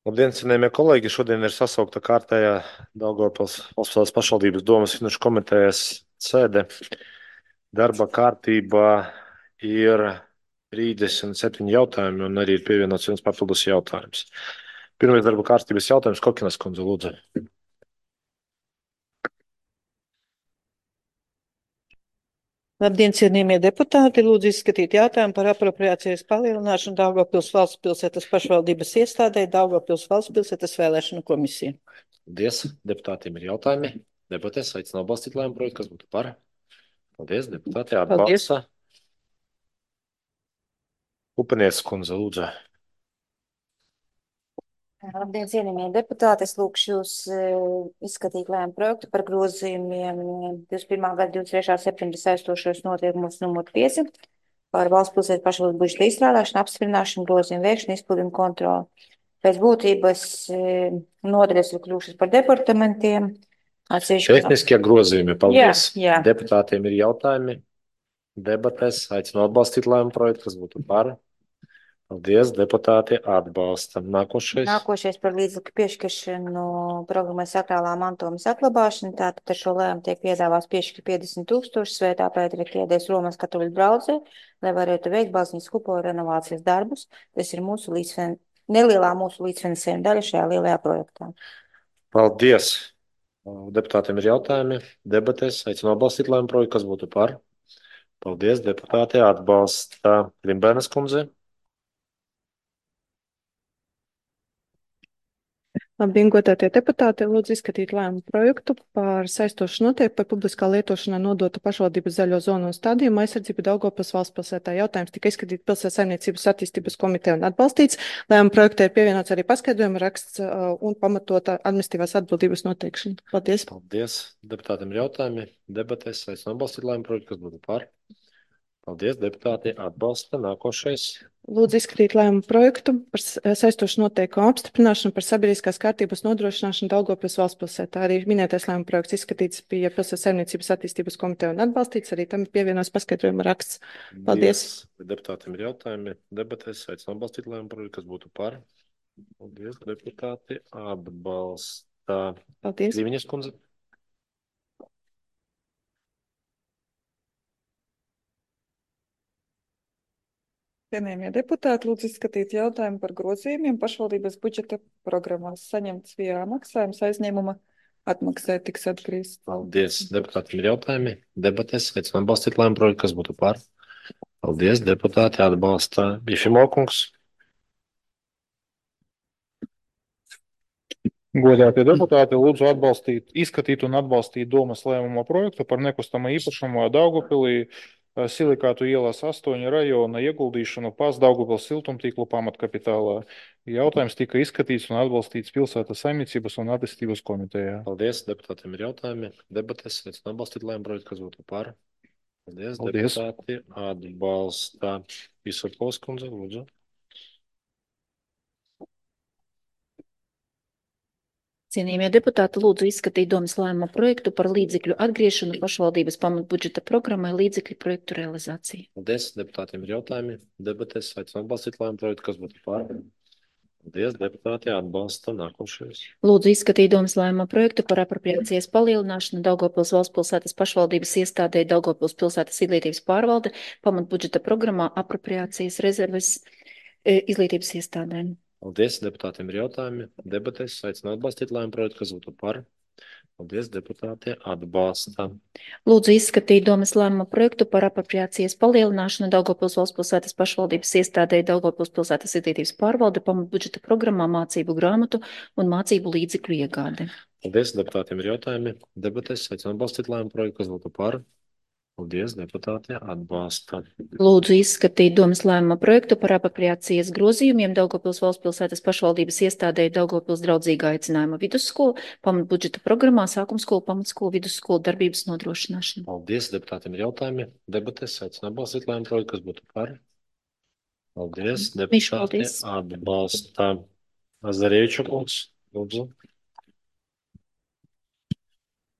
Labdien, cienījamie kolēģi! Šodien ir sasaukta kārtējā Daugavpils valsts pašvaldības domes finanšu komitejas sēde. Darba kārtībā ir 37 jautājumi un arī ir pievienots viens papildus jautājums. Pirmais darba kārtības jautājums, Kokinas kundze, lūdzu. Labdien, cienījamie deputāti! Lūdzu izskatīt jautājumu par apropriācijas palielināšanu Daugavpils valsts pilsētas pašvaldības iestādē Daugavpils valsts pilsētas vēlēšanu komisija. Paldies. Deputātiem ir jautājumi. Debatēs aicinu atbalstīt lēmumu projektu, kas būtu par. Paldies. Deputāti atbalsta. Upenieks kundze, lūdzu. Labdien, cienījamie deputāti! Es lūkšu jūs izskatīt lēmumu projektu par grozījumiem 21. gada 23. septembra saistošos noteikumus numur 5 par valsts pilsētas pašvaldības budžeta izstrādāšanu, apstiprināšanu, grozījumu veikšanu, izpildu un kontroli. Pēc būtības nodaļas ir kļuvušas par departamentiem. Tehniskie grozījumi, paldies. Jā. Deputātiem ir jautājumi. Debatēs aicinu atbalstīt lēmumu projektu, kas būtu par. Paldies, deputāti atbalsta. Nākošais par līdzekļu piešķiršanu programmai sakrālā mantojuma saglabāšana. Tātad ar šo lēmumu tiek piedāvāts piešķirt 50 000 Svētā Pētera ķēdēs Romas katoļu draudzē, lai varētu veikt baznīcas kupola renovācijas darbus. Tas ir nelielā mūsu līdzfinansējuma daļa šajā lielajā projektā. Paldies. Deputātiem ir jautājumi. Debatēs aicinu atbalstīt lēmumu projektu, kas būtu par. Paldies, deputāti atbalsta. Rimbēnas kundze. Labdien, godātie deputāti! Lūdzu izskatīt lēmumu projektu par saistošu noteikumu par publiskā lietošanā nodotu pašvaldības zaļo zonu un stādījumu aizsardzību Daugavpils valsts pilsētā. Jautājums tika izskatīt Pilsētas saimniecības attīstības komiteja un atbalstīts. Lēmumu projektā ir pievienots arī paskaidrojuma raksts un pamatota administratīvās atbildības noteikšana. Paldies! Paldies! Deputātiem ir jautājumi. Debatēs aicinu atbalstīt lēmumu projektu, kas būtu par. Paldies, deputāti atbalsta. Nākošais. Lūdzu izskatīt lēmumu projektu par saistošu noteikumu apstiprināšanu par sabiedriskās kārtības nodrošināšanu Daugavpils valsts pilsētā. Arī minētais lēmumu projekts izskatīts bija Pilsētas saimniecības attīstības komiteja un atbalstīts. Arī tam ir pievienots paskaidrojuma raksts. Paldies! Deputātiem ir jautājumi. Debatēs aicinu atbalstīt lēmumu projektu, kas būtu par. Paldies, deputāti atbalsta. Paldies! Līviņas kundze. Cienījamie deputāti, lūdzu izskatīt jautājumu par grozījumiem pašvaldības budžeta programmās. Saņemts via maksājums aizņēmuma atmaksai tiks atgriezt. Paldies. Deputātiem ir jautājumi. Debatēs aicinu atbalstīt lēmumu projektu, kas būtu par. Paldies, deputāti atbalsta. Jefimokungs. Godātie deputāti, lūdzu izskatīt un atbalstīt domas lēmuma projektu par nekustamo īpašumu Daugavpilī Silikātu ielās 8 rajona ieguldīšanu PAS Daugavpils siltumtīklu pamatkapitālā. Jautājums tika izskatīts un atbalstīts Pilsētas saimniecības un attīstības komitejā. Paldies, deputātiem ir jautājumi. Debatēs aicinu atbalstīt lēmumu projektu, kas būtu par. Paldies. Deputāti atbalsta. Visokovs kundze, lūdzu. Cienījamie deputāti, lūdzu izskatīt domas lēmuma projektu par līdzekļu atgriešanu pašvaldības pamatbudžeta programmai līdzekļu projektu realizāciju. Paldies, deputātiem ir jautājumi. Debatēs aicinu atbalstīt lēmumu projektu, kas būtu par. Paldies, deputāti atbalsta. Nākošais. Lūdzu izskatīt domas lēmuma projektu par apropriācijas palielināšanu Daugavpils valsts pilsētas pašvaldības iestādē Daugavpils pilsētas izglītības pārvalde pamatbudžeta programmā apropriācijas rezerves izglītības iestādēm. Paldies, deputātiem ir jautājumi. Debatēs aicinu atbalstīt lēmumu projektu, kas būtu par. Paldies, deputāti atbalsta. Lūdzu izskatīt domas lēmuma projektu par apropriācijas palielināšanu Daugavpils valsts pilsētas pašvaldības iestādē Daugavpils pilsētas izglītības pārvalde pamatbudžeta programmā mācību grāmatu un mācību līdzekļu iegāde. Paldies, deputātiem ir jautājumi. Debatēs aicinu atbalstīt lēmumu projektu, kas būtu par. Paldies, deputāti atbalsta. Lūdzu izskatīt domas lēmuma projektu par apropriācijas grozījumiem Daugavpils valsts pilsētas pašvaldības iestādē Daugavpils draudzīgā aicinājuma vidusskola pamatbudžeta programmā sākumskola, pamatskola, vidusskola darbības nodrošināšana. Paldies, deputātiem ir jautājumi. Debatēs aicinu atbalstīt lēmumu projektu, kas būtu par. Paldies, deputāti atbalsta. Azarieviča kungs, lūdzu.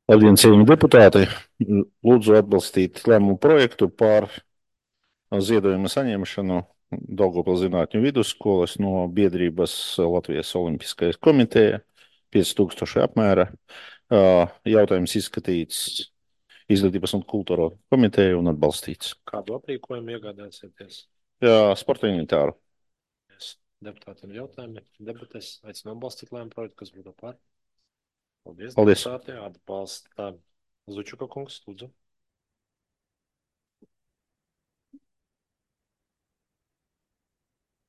Labdien, cienījamie deputāti! Lūdzu atbalstīt lēmumu projektu par ziedojuma saņemšanu Daugavpils zinātņu vidusskolas no biedrības Latvijas Olimpiskais komiteja 5000 apmēra. Jautājums izskatīts Izglītības un kultūra komiteja un atbalstīts. Kādu aprīkojumu iegādāsieties? Sporta inventāru. Deputātiem jautājumi, debates, aicinu atbalstīt lēmumu projektu, kas būtu par. Paldies. Paldies. Deputāti atbalsta. Zučuka kungs, lūdzu.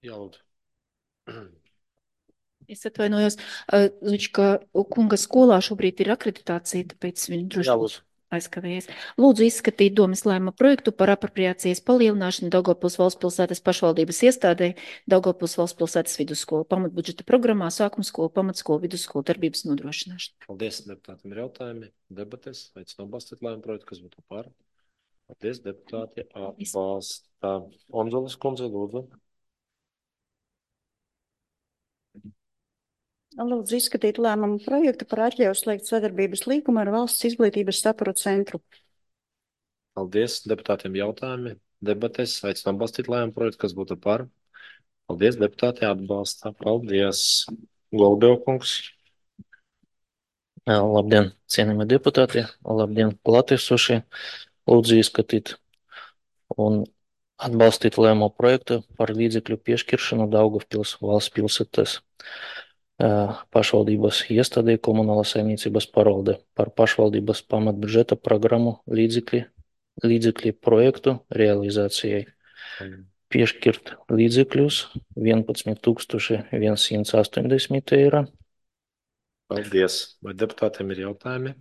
Jā, lūdzu. Es atvainojos, Zučka kunga skolā šobrīd ir akreditācija, tāpēc viņi Jā, droši lūdzu. aizkavējies. Lūdzu izskatīt domas lēmuma projektu par apropriācijas palielināšanu Daugavpils valsts pilsētas pašvaldības iestādē Daugavpils valsts pilsētas vidusskolu pamatbudžeta programmā sākuma skolu, pamatskolu, vidusskolu darbības nodrošināšanu. Paldies, deputātiem ir jautājumi, debates, aicinu atbalstīt lēmumu projektu, kas būtu par. Paldies, deputāti atbalsta. Onzolas kundze, lūdzu. Lūdzu izskatīt lēmumu projektu par atļauju slēgt sadarbības līgumu ar Valsts izglītības satura centru. Paldies, deputātiem jautājumi, debates, aicinu atbalstīt lēmumu projektu, kas būtu par. Paldies, deputāti atbalsta. Paldies, Golubēv kungs. Labdien, cienījamie deputāti, labdien, klātesošie. Lūdzu izskatīt un atbalstīt lēmumu projektu par līdzekļu piešķiršanu Daugavpils valsts pilsētas pašvaldības iestādē komunālās saimniecības pārvalde par pašvaldības pamatbudžeta programmu līdzekļu projektu realizācijai. Piešķirt līdzekļus 11 180 eiro. Paldies. Vai deputātiem ir jautājumi?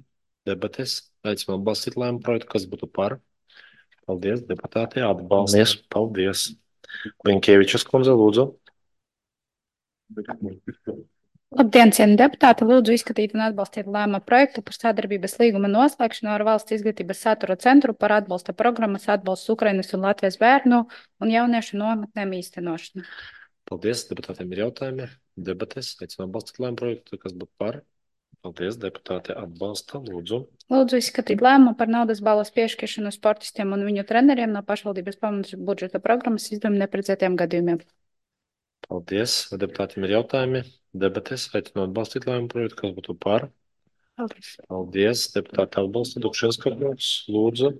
Debates. Aicinu atbalstīt lēmumu projektu, kas būtu par. Paldies, deputāti atbalsta. Paldies. Linkievičas kundze, lūdzu. Labdien, cienījamie deputāti! Lūdzu izskatīt un atbalstīt lēmuma projektu par sadarbības līguma noslēgšanu ar Valsts izglītības satura centru par atbalsta programmas atbalsts Ukrainas un Latvijas bērnu un jauniešu nometnēm īstenošanu. Paldies, deputātiem ir jautājumi. Debates. Aicinu atbalstīt lēmumu projektu, kas būtu par. Paldies, deputāti atbalsta. Lūdzu. Lūdzu izskatīt lēmumu par naudas balvas piešķiršanu sportistiem un viņu treneriem no pašvaldības pamatbudžeta programmas izdevuma neprecētiem gadījumiem. Paldies. Vai deputātiem ir jautājumi? Debates. Aicinu atbalstīt lēmumu projektu, kas būtu par. Paldies. Paldies. Deputāti atbalsta. Dukšienska kungs, lūdzu.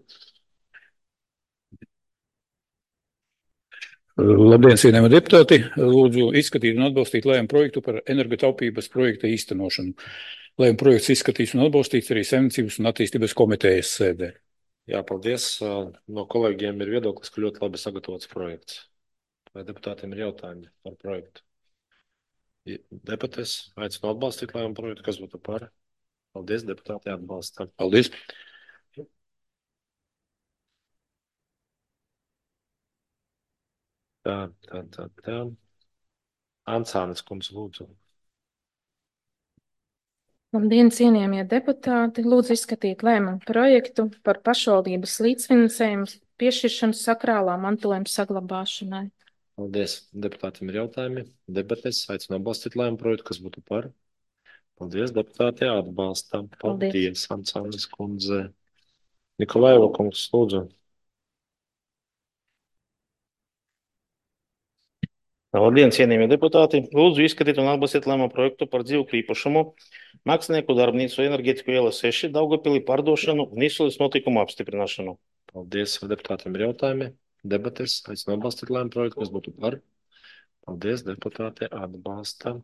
Labdien, cienījamie deputāti! Lūdzu izskatīt un atbalstīt lēmumu projektu par energotaupības projekta īstenošanu. Lēmuma projekts izskatīts un atbalstīts arī Saimniecības un attīstības komitejas sēdē. Jā, paldies. No kolēģiem ir viedoklis, ka ļoti labi sagatavots projekts. Vai deputātiem ir jautājumi par projektu? Debates. Aicinu atbalstīt lēmumu projektu, kas būtu par. Paldies, deputāti atbalsta. Paldies! Tā. Ansānes kundze, lūdzu. Labdien, cienījamie deputāti! Lūdzu izskatīt lēmumu projektu par pašvaldības līdzfinansējumu piešķiršanu sakrālā mantojuma saglabāšanai. Paldies. Deputātiem ir jautājumi. Debates. Aicinu atbalstīt lēmumu projektu, kas būtu par. Paldies, deputāti atbalsta. Paldies, Ansānes kundze. Nikolaiva kungs, lūdzu. Labdien, cienījamie deputāti! Lūdzu izskatīt un atbalstīt lēmumu projektu par dzīvokļu īpašumu Mākslinieku darbnīcu Enerģētiku iela 6 Daugavpilī pārdošanu un izsoles notikumu apstiprināšanu. Paldies, vai deputātiem ir jautājumi? Debates. Aicinu atbalstīt lēmumu projektu, kas būtu par. Paldies, deputāti atbalsta.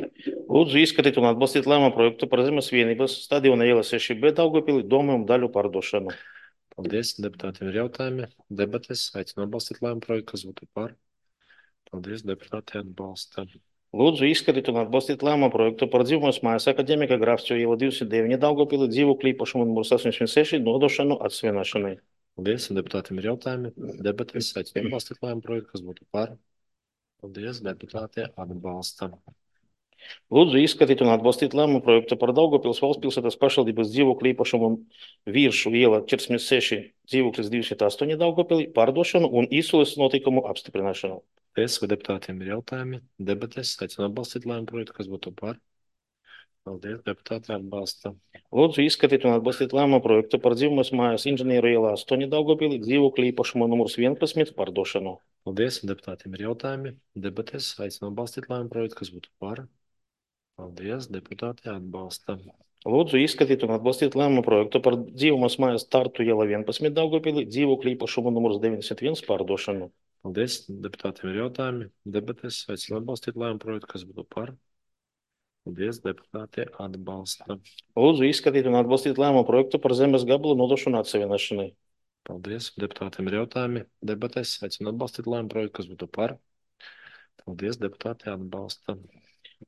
Lūdzu izskatīt un atbalstīt lēmumu projektu par Zemes vienības stadiona iela 6B Daugavpilī domumu daļu pārdošanu. Paldies, deputātiem ir jautājumi. Debates. Aicinu atbalstīt lēmumu projektu, kas būtu par. Paldies, deputāti atbalsta. Lūdzu izskatīt un atbalstīt lēmumu projektu par dzīvokļu mājas Akadēmika Grafsčo iela 209 Daugavpilī dzīvokļu īpašumu numurs 86 nodošanu atsvināšanai. Paldies, deputātiem ir jautājumi. Debates. Aicinu atbalstīt lēmumu projektu, kas būtu par. Paldies, deputāti atbalsta. Lūdzu izskatīt un atbalstīt lēmumu projektu par Daugavpils valsts pilsētas pašvaldības dzīvokļu īpašumu Viršu iela 46 dzīvoklis 208 Daugavpilī pārdošanu un izsoles notikumu apstiprināšanu. Paldies, vai deputātiem ir jautājumi? Debates. Aicinu atbalstīt lēmumu projektu, kas būtu par. Paldies, deputāti atbalsta. Lūdzu izskatīt un atbalstīt lēmumu projektu par dzīvokļu mājas Inženieru ielā 8 Daugavpilī dzīvokļu īpašumu numurs 11 pārdošanu. Paldies. Deputātiem ir jautājumi. Debatēs aicinu atbalstīt lēmumu projektu, kas būtu par. Paldies. Deputāti atbalsta. Lūdzu izskatīt un atbalstīt lēmumu projektu par dzīvumos mājas Tartu iela 11 Daugavpilī, dzīvokļu īpašumu numurs 91 pārdošanu. Paldies. Deputātiem ir jautājumi. Debatēs aicinu atbalstīt lēmumu projektu, kas būtu par. Paldies. Deputāti atbalsta. Lūdzu izskatīt un atbalstīt lēmumu projektu par zemes gabalu nodošanu atsevienošanai. Paldies. Deputātiem ir jautājumi. Debatēs aicinu atbalstīt lēmumu projektu, kas būtu par. Paldies. Deputāti atbalsta.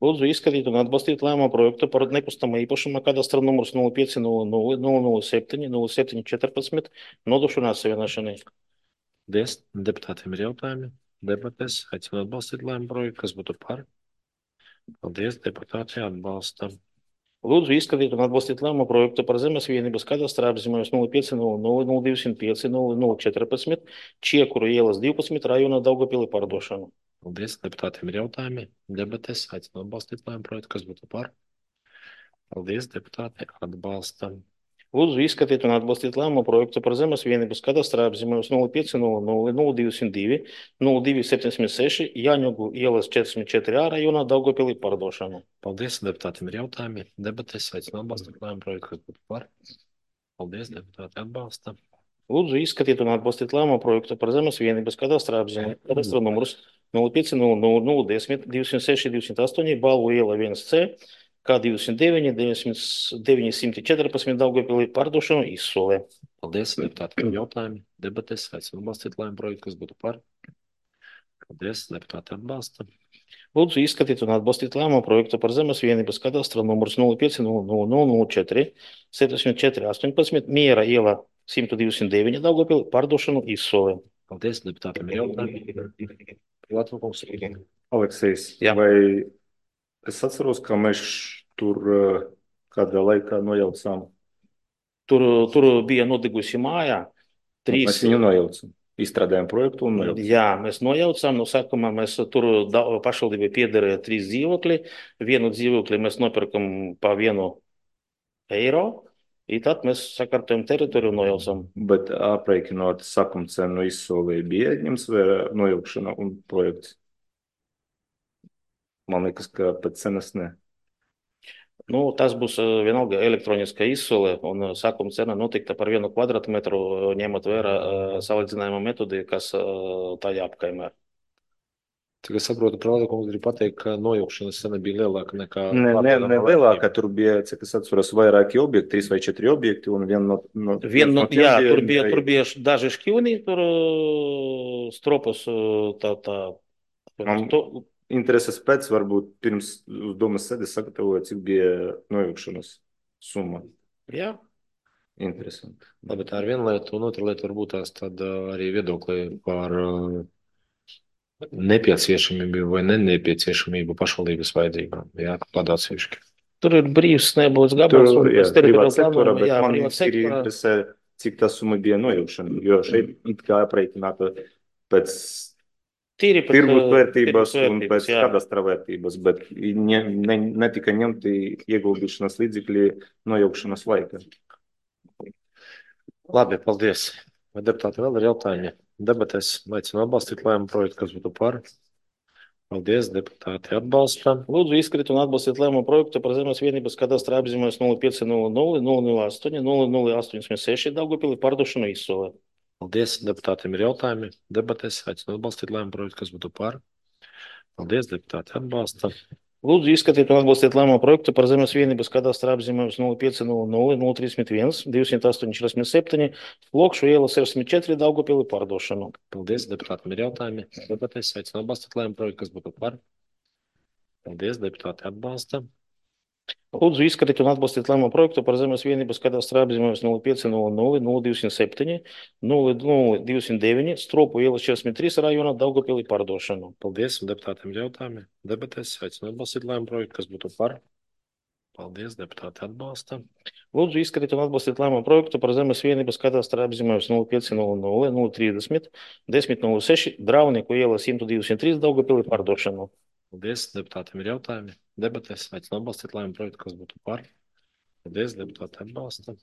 Lūdzu izskatīt un atbalstīt lēmumu projektu par nekustamā īpašuma kadastra numurs 0500 007 0714 nodošanu atsevienošanai. Paldies. Deputātiem ir jautājumi. Debatēs aicinu atbalstīt lēmumu projektu, kas būtu par. Paldies. Deputāti atbalsta. Lūdzu izskatīt un atbalstīt lēmumu projektu par zemes vienības kadastra apzīmējums 0500 205 0014 Čiekuru ielas 12 rajona Daugavpilī pārdošanu. Paldies. Deputātiem ir jautājumi. Debatēs aicinu atbalstīt lēmumu projektu, kas būtu par. Paldies. Deputāti atbalsta. Lūdzu izskatīt un atbalstīt lēmumu projektu par zemes vienības kadastra apzīmējums 0500 0202 0276 Jāņogu ielas 44 rajona Daugavpilī pārdošanu. Paldies. Deputātiem ir jautājumi. Debatēs aicinu atbalstīt lēmumu projektu, kas būtu par. Paldies. Deputāti atbalsta. Lūdzu izskatīt un atbalstīt lēmumu projektu par zemes vienības kadastra apzīmējums kadastra numurs 0500 010 206 208 Balvu iela 1C K209 914 Daugavpilī pārdošanu izsolē. Paldies. Deputātiem ir jautājumi. Debatēs aicinu atbalstīt lēmumu projektu, kas būtu par. Paldies. Deputāti atbalsta. Lūdzu izskatīt un atbalstīt lēmumu projektu par zemes vienības kadastra numurs 0500 74 18 Miera iela 129 Daugavpilī pārdošanu izsolē. Paldies. Deputātiem ir jautājumi. Privātkungs. Aleksejs, Jā. vai es atceros, ka mēs tur kādā laikā nojaucām? Tur bija nodegusi māja. Mēs viņu nojaucam. Izstrādājām projektu un nojaucam. Jā, mēs nojaucām. No sākumā mēs tur pašvaldībai piederēja 3 dzīvokļi. Vienu dzīvokli mēs nopirkam pa €1. I tad mēs sakārtojam teritoriju un nojaucam. Bet aprēķinot sakuma cenu izsolē bija ņems vērā nojaukšana un projekts? Man liekas, ka pēc cenas ne. Nu, tas būs vienalga elektroniska izsole un sākuma cena notikta par 1 kvadrātmetru, ņemot vērā salīdzinājuma metodi, kas tajā apkaimē. Cik es saprotu, privātkungs grib pateikt, ka nojaukšanas cena bija lielāka nekā... Ne lielāka, tur bija, cik es atceros, vairāki objekti, 3 vai 4 objekti un Jā, tur bija daži šķivni, tur stropus Intereses pēc varbūt pirms uz domas sēdes sagatavoja, cik bija nojaukšanas summa. Jā. Interesanti. Labi, tā ir viena lieta, un otra lieta varbūt tās tad arī viedokli par nepieciešamību vai nepieciešamību pašvaldības vajadzībām. Jā, padācīški. Tur ir brīvs nebūs gabals. Privāts sektora, bet man ir interesē, cik tā summa bija nojaukšana, jo šeit it kā aprēķināta pēc tirgus vērtības un pēc kadastra vērtības, bet netika ņemti ieguldīšanas līdzekļi nojaukšanas laika. Labi, paldies. Vai deputāti vēl ir jautājumi? Debatēs aicinu atbalstīt lēmumu projektu, kas būtu par. Paldies, deputāti atbalsta. Lūdzu izskatīt un atbalstīt lēmumu projektu par zemes vienības kadastra apzīmējums 0500 008 0086 Daugavpilī pārdošanu izsolē. Paldies, deputātiem ir jautājumi. Debatēs aicinu atbalstīt lēmumu projektu, kas būtu par. Paldies, deputāti atbalsta. Lūdzu izskatīt un atbalstīt lēmumu projektu par zemes vienības kadastra apzīmējums 0500 031 208 47 Lokšu iela 64 Daugavpilī pārdošanu. Paldies, deputātiem ir jautājumi. Debatēs aicinu atbalstīt lēmumu projektu, kas būtu par. Paldies, deputāti atbalsta. Lūdzu izskatīt un atbalstīt lēmumu projektu par zemes vienības kadastra apzīmējums 0500 0207 0209 Stropu iela 43 rajona Daugavpilī pārdošanu. Paldies, un deputātiem ir jautājumi. Debatēs aicinu atbalstīt lēmumu projektu, kas būtu par. Paldies, deputāti atbalsta. Lūdzu izskatīt un atbalstīt lēmumu projektu par zemes vienības kadastra apzīmējums 0500 030 1006 Drauniku iela 123 Daugavpilī pārdošanu. Paldies, deputātiem ir jautājumi. Debatēs aicinu atbalstīt lēmumu projektu, kas būtu par. Paldies, deputāti atbalsta.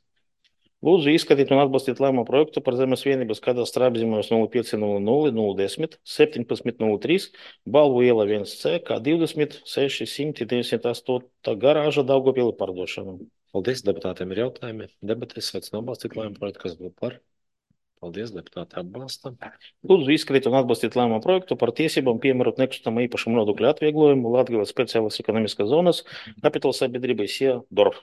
Lūdzu izskatīt un atbalstīt lēmumu projektu par zemes vienības kadastra apzīmējums 0500 1703 Balvu iela 1C kā 2698 garāža Daugavpilī pārdošanu. Paldies, deputātiem ir jautājumi. Debates aicinu atbalstīt lēmumu projektu, kas būtu par. Paldies, deputāti atbalsta. Lūdzu izskatīt un atbalstīt lēmumu projektu par tiesībām piemērot nekustamā īpašuma nodokļu atvieglojumu Latgales speciālas ekonomiskās zonas kapitāla sabiedrībai SIA DORF.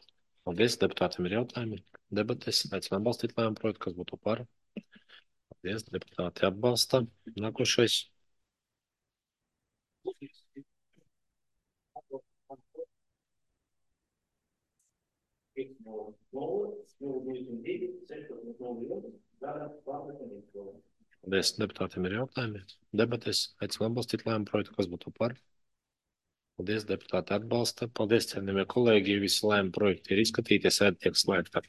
Paldies, deputātiem ir jautājumi. Debates aicinu atbalstīt lēmumu projektu, kas būtu par. Paldies, deputāti atbalsta. Nākošais. Paldies, deputātiem ir jautājumi. Debates aicinu atbalstīt lēmumu projektu, kas būtu par. Paldies, deputāti atbalsta. Paldies, cienījamie kolēģi, visi lēmumu projekti ir izskatīti, sēde tiek slēgta.